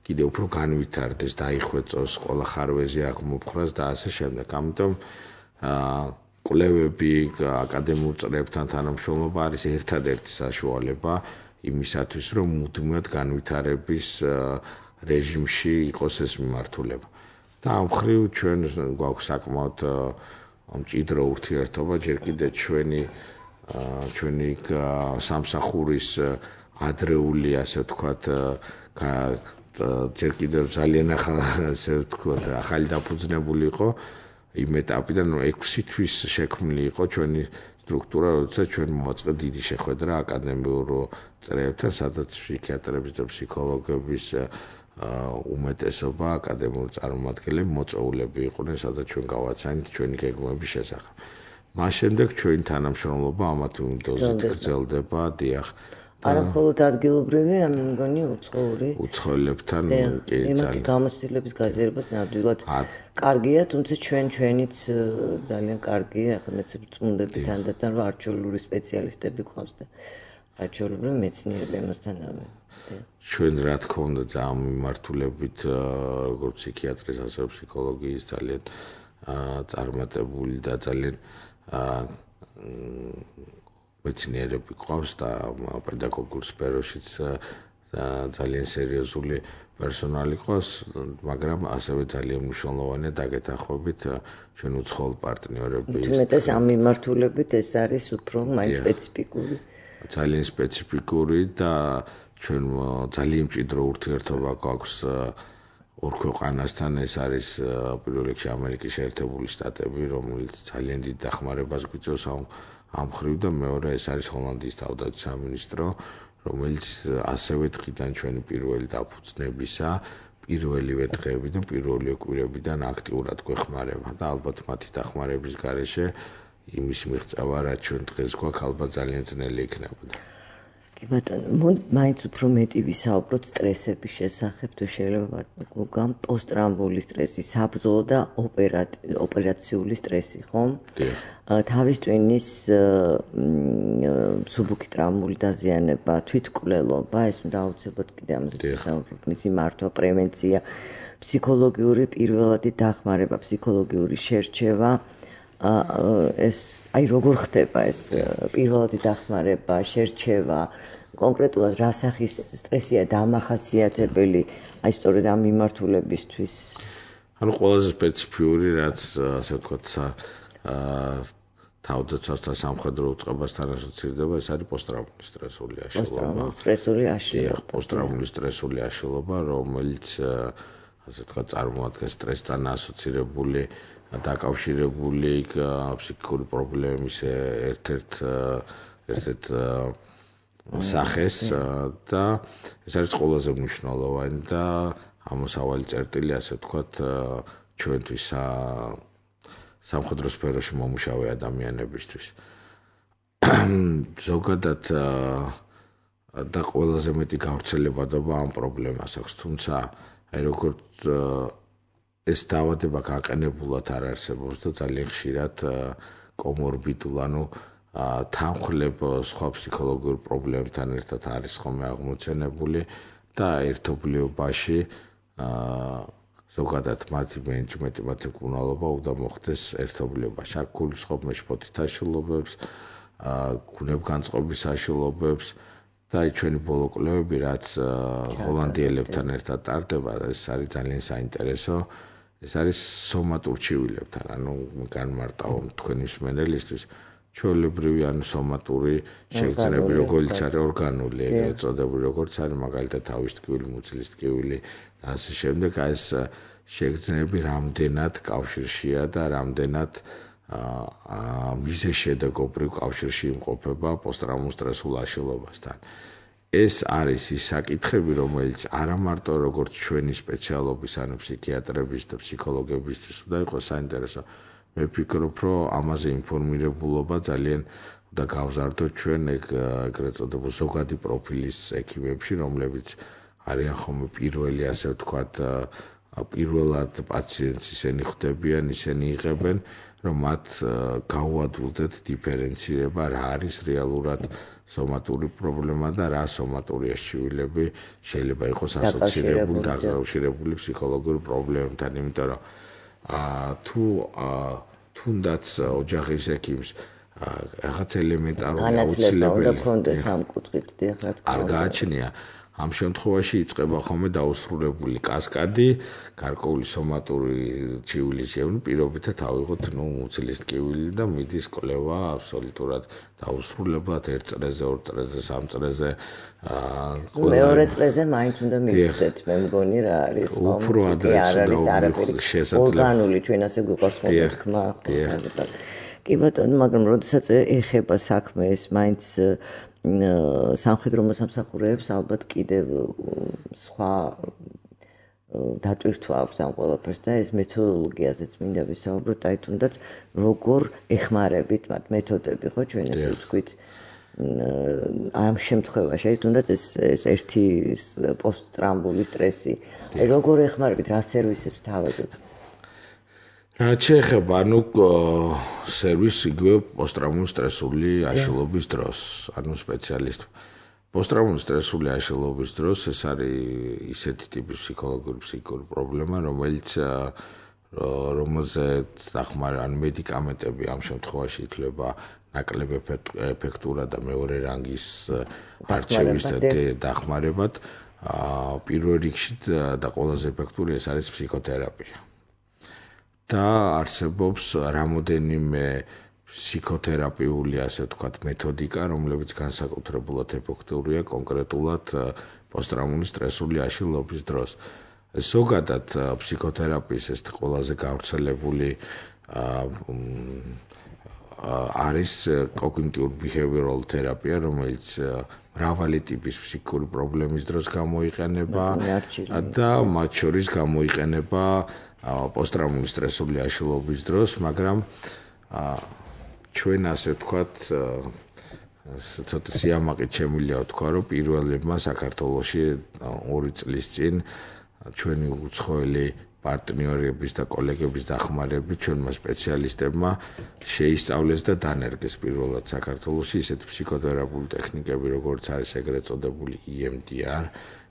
კიდევ უფრო განვითარდეს, დაიხვეწოს, ყველა ხარვეზე აღმოფხრას და ასე შემდეგ. ამიტომ კვლევები, აკადემიურ წრეებთან თანამშრომლობა არის ერთადერთი საშუალება იმისათვის, რომ მუდმივად განვითარების რეჟიმში იყოს ეს მიმართულება. და ამ ხრივ ჩვენ გვაქვს საკმაოდ მჭიდრო ურთიერთობა, ჯერ კიდევ ჩვენი სამსახურის ადრეული, ასე ვთქვათ, ჯერ კიდევ ძალიან ახალი დაფუძნებული იყო იმ ეტაპიდან, რომ 6 თვის შექმნილი იყო ჩვენი სტრუქტურა, როდესაც ჩვენ მოვაწყეთ დიდი შეხვედრა აკადემიურ წრეებთან, სადაც ფსიქიატრების და ფსიქოლოგების უმეტესობა აკადემიური წარმომადგენლები მოწვეულები იყვნენ, სადაც ჩვენ გავაცანით ჩვენი გეგმების შესახებ. მას შემდეგ ჩვენი თანამშრომლობა ამათ დოზით გრძელდება, დიახ. არა მხოლოდ ადგილობრივი, ამ მგონი უცხოელებთან კი ძალიან გამოცდილების გაზიარებას ნამდვილად კარგია, თუმცა ჩვენიც ძალიან კარგია, ახლა მეც წუნდები თანდათან რომ არჩეულური სპეციალისტები გვყავს და არჩეულური მეცნიერები ამასთანავე. ჩვენ რა თქმა უნდა ამ მიმართულებით როგორც ფსიქიატრის, ასევე ფსიქოლოგიის ძალიან წარმატებული და ძალიან მეცნიერები ყავს და პედაგოგურ სფეროშიც ძალიან სერიოზული პერსონალი ყავს, მაგრამ ასევე ძალიან მნიშვნელოვანია დაგეთანხმებით ჩვენ უცხოელ პარტნიორების. თუმცა ამ მიმართულებით ეს არის უფრო მაინც სპეციფიკური. ძალიან სპეციფიკური და ჩვენ ძალიან მჭიდრო ურთიერთობა გვაქვს ორ ქვეყანასთან, ეს არის პირველ რიგში ამერიკის შეერთებული შტატები, რომელიც ძალიან დიდ დახმარებას გვიწევს ამ ხრივ და მეორე ეს არის ჰოლანდიის თავდაცვის სამინისტრო, რომელიც ასევე დღიდან ჩვენი პირველი დაფუძნებისა, პირველივე დღეებიდან, პირველივე კვირებიდან აქტიურად გვეხმარება და ალბათ მათი დახმარების გარეშე იმის მიღწევა, რაც ჩვენ დღეს გვაქვს, ალბათ ძალიან ძნელი იქნებოდა. კი ბატონო, მაინც უფრო მეტი ვისაუბროთ სტრესების შესახებ, თუ შეიძლება გამ პოსტტრაუმული სტრესი, საბრძოლო და ოპერაციული სტრესი, ხომ? თავის ტვინის მსუბუქი ტრაუმული დაზიანება, თვითმკვლელობა, ეს უნდა აუცილებლად კიდე ამაზე ვისაუბროთ, მისი მართვა, პრევენცია, ფსიქოლოგიური პირველადი დახმარება, ფსიქოლოგიური შერჩევა, ეს აი როგორ ხდება ეს პირველადი დახმარება, შერჩევა, კონკრეტულად რა სახის სტრესია დამახასიათებელი, აი სწორედ ამ მიმართულებისთვის. ანუ ყველაზე სპეციფიური, რაც ასე ვთქვათ, თავდაცვასთან სამხედრო უწყებასთან ასოცირდება, ეს არის პოსტტრაუმული სტრესული აშლილობა. პოსტტრაუმული სტრესული აშლილობა, რომელიც ასე ვთქვათ, წარმოადგენს სტრესთან ასოცირებული დაკავშირებული ფსიქიკური პრობლემის ერთ-ერთ სახეს და ეს არის ყველაზე მნიშვნელოვანი და ამოსავალი წერტილი, ასე ვთქვათ, ჩვენთვის სამხედრო სფეროში მომუშავე ადამიანებისთვის. ზოგადად და ყველაზე მეტი გავრცელებადობა ამ პრობლემას აქვს, თუმცა აი როგორც ეს დაავადება გაყენებულად არ არსებობს და ძალიან ხშირად კომორბიდულ, ანუ თანხლებ სხვა ფსიქოლოგიურ პრობლემებთან ერთად არის ხოლმე აღმოცენებული და ერთობლიობაში ზოგადად მათი მენეჯმენტი, მათი მკურნალობა უნდა მოხდეს ერთობლიობაში. აქ გულისხმობ მეშფოთით აშლილობებს, გუნებგანწყობის აშლილობებს და ჩვენი ბოლო კვლევები, რაც ჰოლანდიელებთან ერთად ტარდება, ეს არის ძალიან საინტერესო. ეს არის სომატურ ჩივილებთან, ანუ განმარტავ თქვენი მსმენელისთვის, ჩვეულებრივი ანუ სომატური შეგრძნები, როგორც არის ორგანული, ეგრეთ წოდებული, როგორც არის მაგალითად თავის ტკივილი, მუცლის ტკივილი და ასე შემდეგ, ეს შეგრძნები რამდენად კავშირშია და რამდენად მიზეს შედეგობრივ კავშირში იმყოფება პოსტტრაუმულ სტრესულ აშლილობასთან. ეს არის ის საკითხები, რომელიც არა მარტო როგორც ჩვენი სპეციალობის, ანუ ფსიქიატრების და ფსიქოლოგებისთვის უნდა იყოს საინტერესო. მე ვფიქრობ, რომ ამაზე ინფორმირებულობა ძალიან და გავზარდოთ ჩვენ ეგრეთ წოდებულ ზოგადი პროფილის ექიმებში, რომლებიც არიან ხოლმე პირველი, ასე ვთქვათ, პირველად პაციენტს ისინი ხვდებიან, ისინი იღებენ, რომ მათ გაუადვილდეთ დიფერენცირება, რა არის რეალურად სომატური პრობლემა და რა სომატური აღჭურვილები შეიძლება იყოს ასოცირებული დაკავშირებული ფსიქოლოგიურ პრობლემებთან, იმიტომ რომ თუ თუნდაც ოჯახის ექიმს რაღაც ელემენტარული აუცილებელი უნდა ქონდეს ამ კუთხით, რა თქმა უნდა. არ გააჩნია. ამ შემთხვევაში იწყება ხოლმე დაუსრულებული კასკადი, გარკვეული სომატური ჭივილის პირობითად ავიღოთ მუცლის ტკივილი და მიდის კვლევა აბსოლუტურად დაუსრულებლად 1 წრეზე, 2 წრეზე, 3 წრეზე. მეორე წრეზე მაინც უნდა მივხვდეთ, მე მგონი რა არის უფრო ადრესზე არაფერი ორგანული ჩვენ ასე გვიყვარს ხოლმე თქმა. კი ბატონო, მაგრამ როდესაც ეხება საქმე ეს მაინც სამხედრო მოსამსახურეებს ალბათ კიდევ სხვა დატვირთვა აქვს ამ ყველაფერს და ეს მეთოდოლოგიაზეც მინდა ვისაუბროთ, აი თუნდაც როგორ ეხმარებით მათ მეთოდები, ხო, ჩვენ ესე ვთქვით ამ შემთხვევაში, აი თუნდაც ეს ერთი პოსტტრაუმული სტრესი, აი როგორ ეხმარებით, რა სერვისებს თავაზობთ? რაც შეეხება, ანუ სერვისი იგივე პოსტტრაუმული სტრესული აშლილობის დროს, ანუ სპეციალისტ. პოსტტრაუმული სტრესული აშლილობის დროს ეს არის ისეთი ტიპის ფსიქიკური პრობლემა, რომელზეც დახმარება, ანუ მედიკამენტები ამ შემთხვევაში ითვლება ნაკლებ ეფექტურად და მეორე რანგის არჩევის დახმარებად. პირველ რიგში და ყველაზე ეფექტური ეს არის ფსიქოთერაპია. და არსებობს რამოდენიმე ფსიქოთერაპიული, ასე ვთქვათ, მეთოდიკა, რომლებიც განსაკუთრებულად ეფექტურია კონკრეტულად პოსტტრაუმული სტრესული აშლილობის დროს. ზოგადად ფსიქოთერაპიის ეს ყველაზე გავრცელებული არის cognitive behavioral therapy, რომელიც მრავალი ტიპის ფსიქიკური პრობლემის დროს გამოიყენება და მათ შორის გამოიყენება პოსტტრაუმული სტრესული აშლილობის დროს, მაგრამ ჩვენ ასე ვთქვათ, ცოტა სიამაყით შემიძლია ვთქვა, რომ პირველებმა საქართველოში 2 წლის წინ ჩვენი უცხოელი პარტნიორების და კოლეგების დახმარებით ჩვენმა სპეციალისტებმა შეისწავლეს და დანერგეს პირველად საქართველოში ისეთი ფსიქოთერაპიული ტექნიკები, როგორც არის ეგრეთ წოდებული EMDR,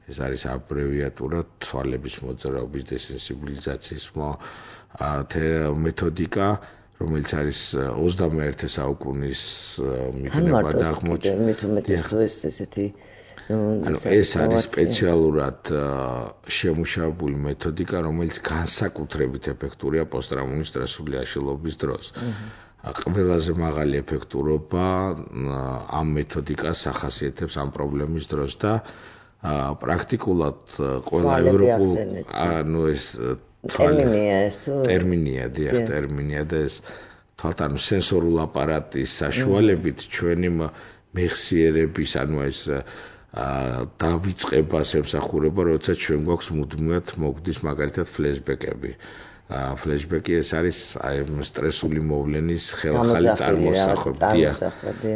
ეს არის აბრევიატურა თვალების მოძრაობის დესენსიბილიზაციის მეთოდიკა, რომელიც არის 21 საუკუნის მიღება და ეს არის სპეციალურად შემუშავებული მეთოდიკა, რომელიც განსაკუთრებით ეფექტურია პოსტტრაუმული სტრესული აშლილობის დროს. ყველაზე მაღალი ეფექტურობა ამ მეთოდიკას ახასიათებს ამ პრობლემის დროს და პრაქტიკულად ყველა ევროპულ ეს ტერმინია და ეს თვალთან სენსორულ აპარატის საშუალებით ჩვენი მეხსიერების, ანუ ეს დავიწყებას ემსახურება, როცა ჩვენ გვაქვს მუდმივად მოგდის მაგალითად ფლეშბეკები. ფლეშბეკი ეს არის სტრესული მოვლენის ხელახალი წარმოსახვებია.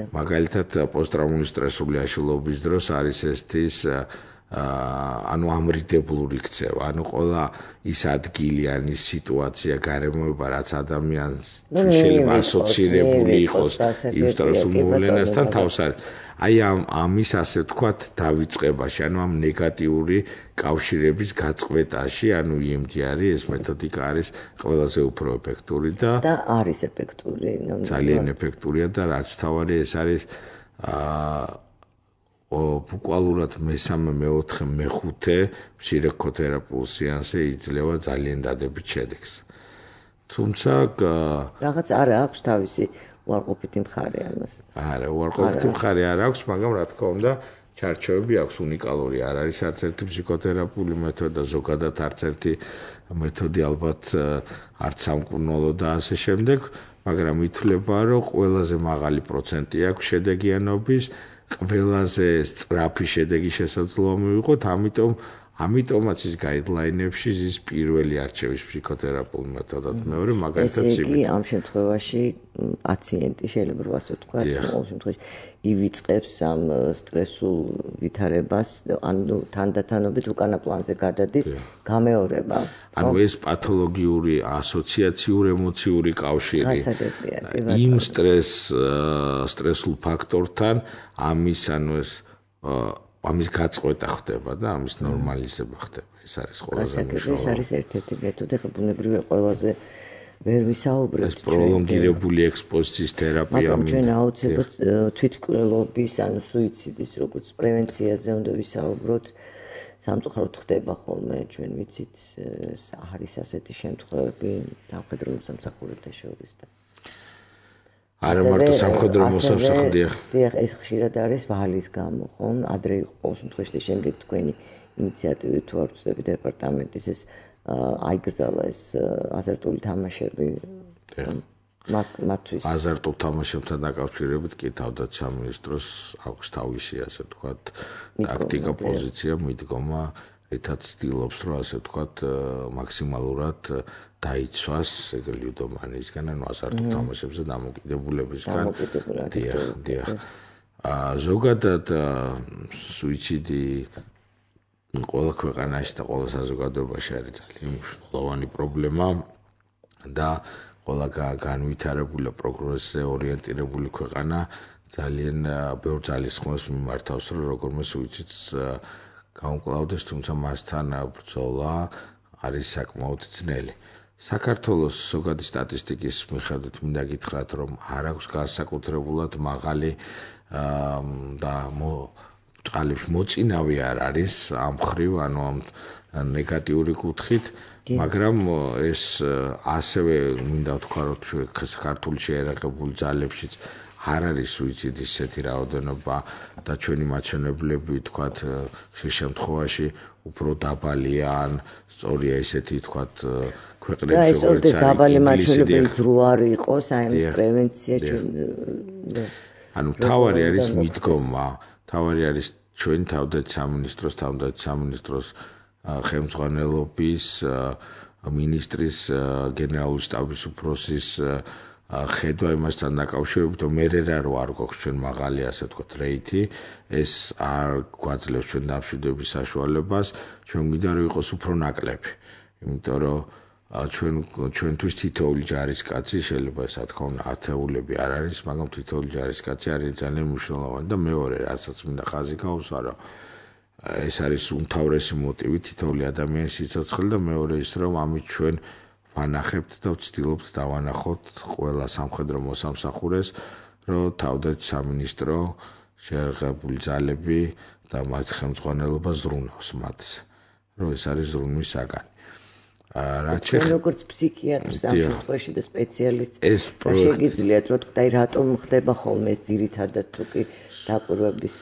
მაგალითად პოსტტრაუმული სტრესული აშლილობის დროს არის ეს ანუ ამრიდებლური ქცევა, ანუ ყველა ის ადგილი, ან ის სიტუაცია, გარემოება, რაც ადამიანს შეიძლება ასოცირებული იყოს იმ სტრესულ მოვლენასთან თავს არის. აი ამის ასე ვთქვათ დავიწყებაში, ანუ ამ ნეგატიური კავშირების გაწყვეტაში, ანუ EMDR ეს მეთოდიკა არის ყველაზე უფრო ეფექტური და არის ეფექტური. ძალიან ეფექტურია და რაც თავარი ეს არის ბუკვალურად მესამე, მეოთხე, მეხუთე ფსიქოთერაპიულ სეანსზე იძლევა ძალიან დადებით შედეგს. თუმცა რაღაც არ აქვს თავისი უარყოფითი მხარე ამას. არა, უარყოფითი მხარე არ აქვს, მაგრამ რა თქმა უნდა, ჩარჩოები აქვს უნიკალური. არ არის არც ერთი ფსიქოთერაპიული მეთოდი და ზოგადად არც ერთი მეთოდი ალბათ არც სამკურნალო და ასე შემდეგ, მაგრამ ითვლება, რომ ყველაზე მაღალი პროცენტი აქვს შედეგიანობის, ყველაზე სწრაფი შედეგი შესაძლოა მივიღოთ, ამიტომაც ის გაიდლაინებში ის პირველი არჩევის ფსიქოთერაპიული მეთოდად, მეორე მაგალითად ესე იგი ამ შემთხვევაში პაციენტი შეიძლება ასე ვთქვა, ყოველ შემთხვევაში ივიწყებს ამ სტრესულ ვითარებას, ანუ თანდათანობით უკანა პლანზე გადადის გამეორება. ანუ ეს პათოლოგიური ასოციაციურ ემოციური კავშირი იმ სტრესულ ფაქტორთან ამის გაწყვეტა ხდება და ამის ნორმალიზება ხდება. ეს არის ყველაზე მნიშვნელოვანი. ეს არის ერთ-ერთი მეთოდი, ხო ბუნებრივია ყველაზე ვერ ვისაუბრებთ. ეს პროლონგირებული ექსპოზიციის თერაპია. მაგრამ ჩვენ აუცილებლად თვითმკვლელობის, ანუ სუიციდის როგორც პრევენციაზე უნდა ვისაუბროთ. სამწუხაროდ ხდება ხოლმე, ჩვენ ვიცით, არის ასეთი შემთხვევები სამხედრო მოსამსახურეთა შორის და არა მარტო სამხედრო მოსამსახურეთა. დიახ, ეს ხშირად არის ვალის გამო, ხო? ადრე იყო ყოველ შემთხვევაში შემდეგ თქვენი ინიციატივით თუ არ ვწდები დეპარტამენტის ეს აიგრძალა ეს აზარტული თამაშები. მათთვის აზარტულ თამაშებთან დაკავშირებით კი თავდაც სამინისტროს აქვს თავისი ასე ვთქვათ ტაქტიკა, პოზიცია, მიდგომა, რითაც ცდილობს რომ ასე ვთქვათ მაქსიმალურად დაიცვას ეგ ლუდომანიისგან, ანუ აზარტულ თამაშებზე დამოკიდებულებისგან. დიახ. ზოგადად სუიციდი ყველა ქვეყანაში და ყველა საზოგადოებაში არის ძალიან მნიშვნელოვანი პრობლემა და ყველა განვითარებული პროგრესზე ორიენტირებული ქვეყანა ძალიან ბევრ ძალისხმევას მიმართავს, რომ როგორმე სუიციდს გაუმკლავდეს, თუმცა მასთან ბრძოლა არის საკმაოდ ძნელი. საქართველოს ზოგადი სტატისტიკის მიხედვით მინდა გითხრათ, რომ არ აქვს განსაკუთრებულად მაღალი და წყალებში მოწინავე არ არის ამ ხრივ, ანუ ამ ნეგატიური კუთხით, მაგრამ ეს ასევე მინდა ვთქვა, რომ ქართული შეერაღებული ძალებშიც არ არის სუიციდის ესეთი რაოდენობა და ჩვენი მაჩვენებლები ვთქვათ შემთხვევაში უფრო დაბალია ან სწორია ესეთი ვთქვათ ქვეყნებში და ეს ორდეს დაბალი მაჩვენებელი ძრო არ იყოს აი ამის პრევენცია ანუ თავარი არის მიდგომა, თავარი არის ჩვენი თავდაცვის ხელმძღვანელობის მინისტრის გენერალური შტაბის უფროსის ხედვა იმასთან დაკავშირებით, რომ მე არ გვაქვს ჩვენ მაღალი ასე ვთქვათ რეიტი, ეს არ გვაძლევს ჩვენ დამშვიდობის საშუალებას, ჩვენ გვინდა რომ იყოს უფრო ნაკლები. იმიტომ რომ ჩვენთვის თითოეული ჯარისკაცი შეიძლება ეს თქო უნდა ათეულები არ არის, მაგრამ თითოეული ჯარისკაცი არის ძალიან მნიშვნელოვანი და მეორე რასაც მინდა ხაზი გავუსვა, რომ ეს არის უმთავრესი მოტივი თითოეული ადამიანის სიცოცხლე და მეორე ის რომ ამით ჩვენ ვანახებთ და ვცდილობთ დავანახოთ ყველა სამხედრო მოსამსახურეს, რომ თავდაცვის სამინისტრო შეერაღებული ძალები და მათ ხელმძღვანელობა ზრუნავს მათზე, რომ ეს არის ზრუნვის საგანი. ჩვენ როგორც ფსიქიატრს ამ შემთხვევაში და სპეციალისტს შეგიძლიათ რომ თქვა რატომ ხდება ხოლმე ეს ძირითადად თუ კი დაკვირვების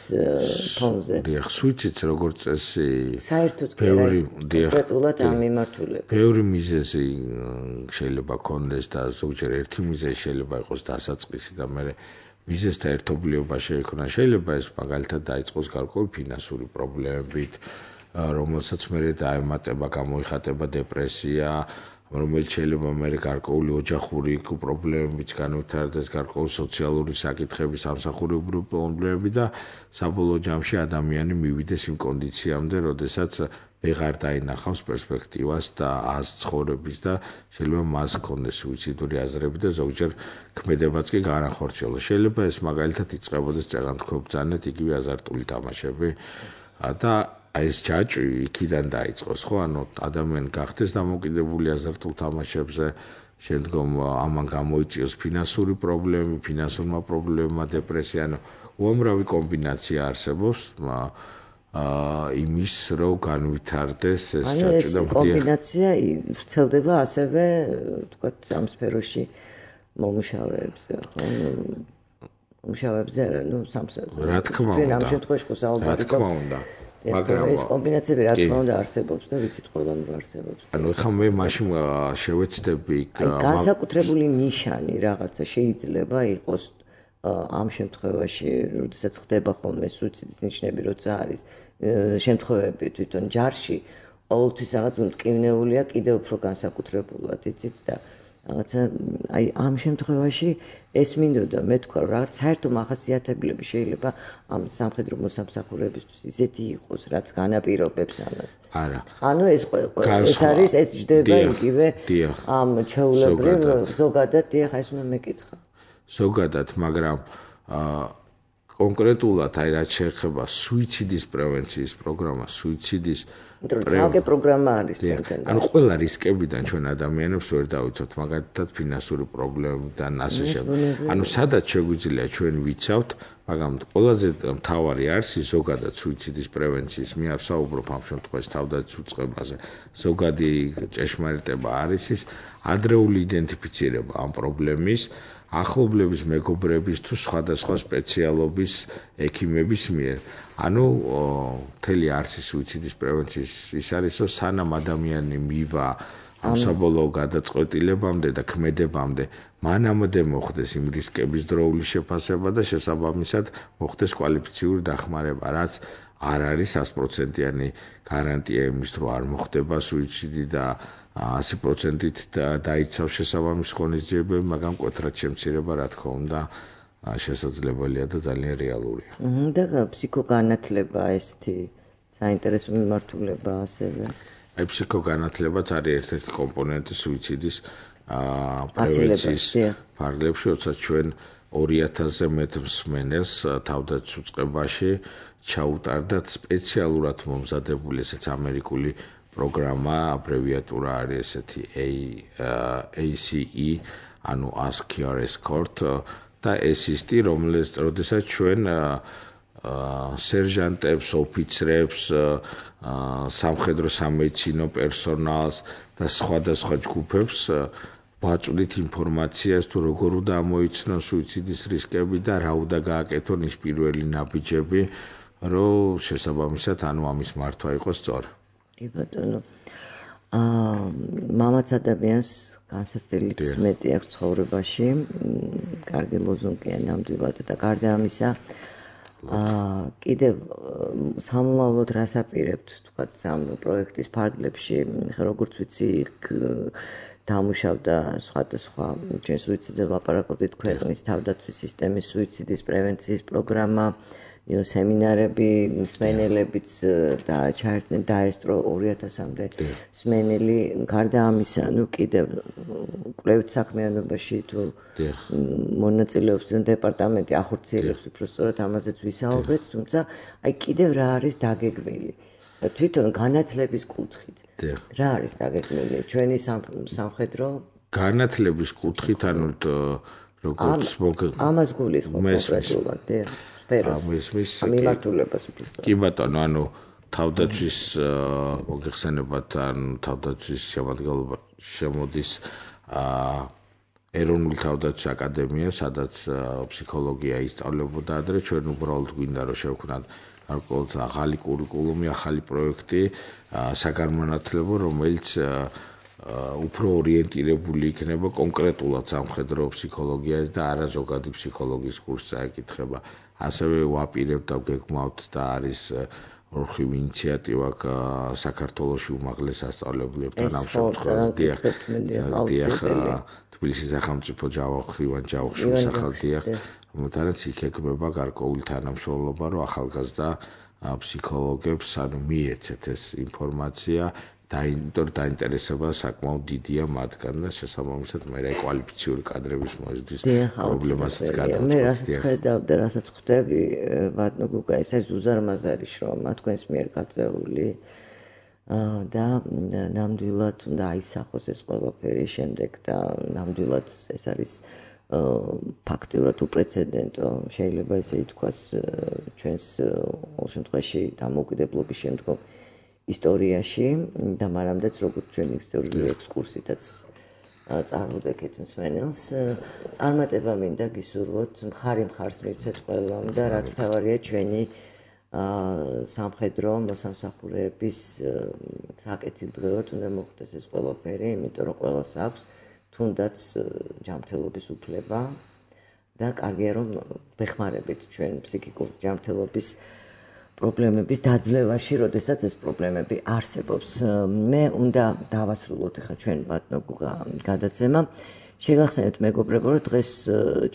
ფონზე. დიახ, სუიციდს როგორც წესი საერთოდ კონკრეტულად ამ მიმართულებით. ბევრი მიზეზი შეიძლება ქონდეს და ზოგჯერ ერთი მიზეზი შეიძლება იყოს დასაწყისი და მე მიზეზთა ერთობლიობა შეიქმნა. შეიძლება ეს მაგალითად დაიწყოს გარკვეული ფინანსური პრობლემებით, რომელსაც მე დაემატება, გამოიხატება დეპრესია, რომელიც შეიძლება მე გარკვეული ოჯახური პრობლემებიც განვითარდეს, გარკვეული სოციალური საკითხები, სამსახურებრივი პრობლემები და საბოლოო ჯამში ადამიანი მივიდეს იმ კონდიციამდე, როდესაც ვეღარ დაინახავს პერსპექტივას და აზრს ცხოვრების და შეიძლება მას ჰქონდეს სუიციდური აზრები და ზოგჯერ ქმედებაც კი განახორციელოს. შეიძლება ეს მაგალითად იწყებოდეს წეგანთქვებრძანეთ იგივე აზარტული თამაშები და აი ეს ჯაჭვი იქიდან დაიწყოს, ხო? ანუ ადამიანი გახდეს დამოკიდებული აზარტულ თამაშებზე, შემდგომ ამან გამოიწვიოს ფინანსური პრობლემები, ფინანსურმა პრობლემებმა, დეპრესია, ანუ უამრავი კომბინაცია არსებობს იმის, რომ განვითარდეს ეს ჯაჭვი და კომბინაცია ვრცელდება ასევე, ვთქვათ, ამ სფეროში მომუშავეებზე, ხო? მომუშავეებზე, ну, სამსახურში. რა თქმა უნდა. ჩვენ ამ შემთხვევაში ხო საუბარი გვაქვს. მაგრამ ეს კომბინაციები რა თქმა უნდა არსებობს და ვიცით ყველამ რომ არსებობს. ანუ ეხლა მე მაშინ შევეცდები განსაკუთრებული ნიშანი რაღაცა შეიძლება იყოს ამ შემთხვევაში, როდესაც ხდება ხოლმე სუიციდის ნიშნები, როცა არის შემთხვევები თვითონ ჯარში, ყოველთვის რაღაც მტკივნეულია კიდევ უფრო განსაკუთრებულად, იცით და რაღაცა აი ამ შემთხვევაში ეს მინდოდა მე თქვა რომ რაღაც საერთო მახასიათებლები შეიძლება ამ სამხედრო მოსამსახურებისთვის ისეთი იყოს, რაც განაპირობებს ამას. არა. ანუ ეს არის ეს ჯდება იგივე ამ ჩვეულებრივ ზოგადად დიახ ეს უნდა მეკითხა. ზოგადად, მაგრამ კონკრეტულად აი რაც შეეხება სუიციდის პრევენციის პროგრამა, სუიციდის ძალკე პროგრამა არის თქვენთან. ანუ ყველა რისკებიდან ჩვენ ადამიანებს ვერ დავიცავთ, მაგალითად ფინანსური პრობლემებიდან ასე შემდეგ. ანუ სადაც შეგვიძლია ჩვენ ვიცავთ, მაგრამ ყველაზე მთავარი არის ზოგადად სუიციდის პრევენციის მე არ საუბრობ ამ შემთხვევაში თავდაცვის უწყებაზე. ზოგადი ჭეშმარიტება არის ის ადრეული იდენტიფიცირება ამ პრობლემის ახლობლების მეგობრების თუ სხვადასხვა სპეციალობის ექიმების მიერ. ანუ მთელი არსი სუიციდის პრევენციის ის არის, რომ სანამ ადამიანი მივა ამ საბოლოო გადაწყვეტილებამდე და ქმედებამდე, მანამდე მოხდეს იმ რისკების დროული შეფასება და შესაბამისად მოხდეს კვალიფიციური დახმარება, რაც არ არის 100%-იანი გარანტია იმის, რომ არ მოხდება სუიციდი და 100%-ით დაიცავს შესაბამის ღონისძიებები, მაგრამ მკვეთრად შემცირება, რა თქმა უნდა, შესაძლებელია და ძალიან რეალურია. და ფსიქოგანათლება ესეთი საინტერესო მიმართულება ასევე. აი ფსიქოგანათლებაც არის ერთ-ერთი კომპონენტი სუიციდის პრევენციის ფარგლებში, როცა ჩვენ 2000-ზე მეტ მსმენელს თავდაცვის უწყებაში ჩაუტარდათ სპეციალურად მომზადებული ესეც ამერიკული პროგრამა, აბრევიატურა არის ესეთი ACE, ანუ Ask Your Escort და ASIST, როდესაც ჩვენ სერჟანტებს, ოფიცრებს, სამხედრო სამედიცინო პერსონალს და სხვადასხვა ჯგუფებს ვაწვდით ინფორმაციას თუ როგორ უნდა ამოიცნონ სუიციდის რისკები და რა უნდა გააკეთონ ის პირველი ნაბიჯები, რომ შესაბამისად ანუ ამის მართვა იყოს სწორი. კი ბატონო. მამაც ადამიანს განსაცდელით მეტი აქვს ცხოვრებაში, კარგი ლოზუნგია ნამდვილად და გარდა ამისა, კიდევ სამომავლოდ რას აპირებთ, თქვათ, ამ პროექტის ფარგლებში, როგორც ვიცი, დამუშავდა სხვადასხვა ჩვენ სუიციდზე ვლაპარაკობდით ქვეყნის თავდაცვის სისტემის სუიციდის პრევენციის პროგრამა, სემინარები, მსმენელებიც ჩაერთნენ დაესწრო 2000-მდე მსმენელი. გარდა ამისა, კიდევ კვლევით საქმიანობაში თუ მონაწილეობს დეპარტამენტი ახორციელებს უფრო სწორად ამაზეც ვისაუბრეთ, თუმცა აი კიდევ რა არის დაგეგმილი? თვითონ განათლების კუთხით. რა არის დაგეგმილი? ჩვენი სამხედრო განათლების კუთხით, ანუ როგორც ამას გულისხმობ კონკრეტულად, მიმართულებას უბრალოდ. კი ბატონო, ანუ თავდაცვის მოგეხსენებათ, ანუ თავდაცვის შემადგენლობა შემოდის ეროვნული თავდაცვის აკადემია, სადაც ფსიქოლოგია ისწავლებოდა ადრე, ჩვენ უბრალოდ გვინდა რომ შევქმნათ გარკვეულად ახალი კურიკულუმი, ახალი პროექტი, საგანმანათლებლო, რომელიც უფრო ორიენტირებული იქნება კონკრეტულად სამხედრო ფსიქოლოგიას და არა ზოგადი ფსიქოლოგიის კურსს წაეკითხება. ასევე ვაპირებთ და ვგეგმავთ და არის ორხივ ინიციატივა საქართველოში უმაღლეს სასწავლებლებთან ამ შემთხვევაში. დიახ, თბილისის სახელმწიფო ჯავახიევან ჯავახიშვილის სახელდიახ, რომელთანაც იქ ეკბება გარკვეული თანამშრომლობა, რომ ახალგაზრდა ფსიქოლოგებს ანუ მიეცეთ ეს ინფორმაცია. დაინტერესება საკმაოდ დიდია მათგან და შესაბამისად მე რა კვალიფიციური კადრების მოზრდის პრობლემასაც გადავწყვეტ. მე რასაც ხედავ და რასაც ხვდები, ბატონო გუგა, ეს არის უზარმაზარი შრომა თქვენს მიერ გაწეული და ნამდვილად უნდა აისახოს ეს ყველაფერი შემდეგ და ნამდვილად ეს არის ფაქტიურად უპრეცედენტო, შეიძლება ესე ითქვას ჩვენს ყოველ შემთხვევაში დამოუკიდებლობის შემდგომ ისტორიაში და მანამდეც როგორც ჩვენი ისტორიული ექსკურსითაც წარვდექით მსმენელს, წარმატება მინდა გისურვოთ, მხარი მხარს მივცეთ ყველამ და რაც მთავარია ჩვენი სამხედრო მოსამსახურეების საკეთილდღეოდ უნდა მოხდეს ეს ყველაფერი, იმიტომ რომ ყველას აქვს თუნდაც ჯანმრთელობის უფლება და კარგია რომ ვეხმარებით ჩვენ ფსიქიკურ ჯანმრთელობის პრობლემების დაძლევაში, როდესაც ეს პრობლემები არსებობს. მე უნდა დავასრულოთ ახლა ჩვენ ბატონო გუგა გადაცემა. შეგახსენებთ მეგობრებო, რომ დღეს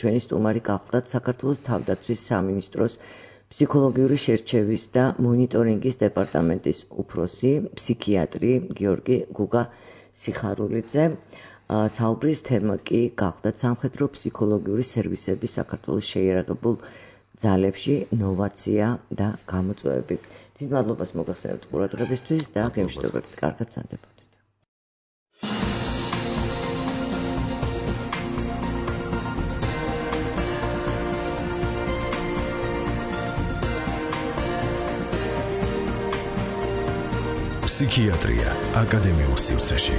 ჩვენი სტუმარი გახლდათ საქართველოს თავდაცვის სამინისტროს ფსიქოლოგიური შერჩევის და მონიტორინგის დეპარტამენტის უფროსი, ფსიქიატრი გიორგი გუგა სიხარულიძე. საუბრის თემა კი გახლდათ სამხედრო ფსიქოლოგიური სერვისების საქართველოს შეიარაღებულ ძალებში ნოვაცია და გამოწვევები. დიდ მადლობას მოგახსენებთ ყურადღებისთვის და გემშვიდობებით. კარგად მზადდებოდეთ. ფსიქიატრია აკადემიურ სივრცეში.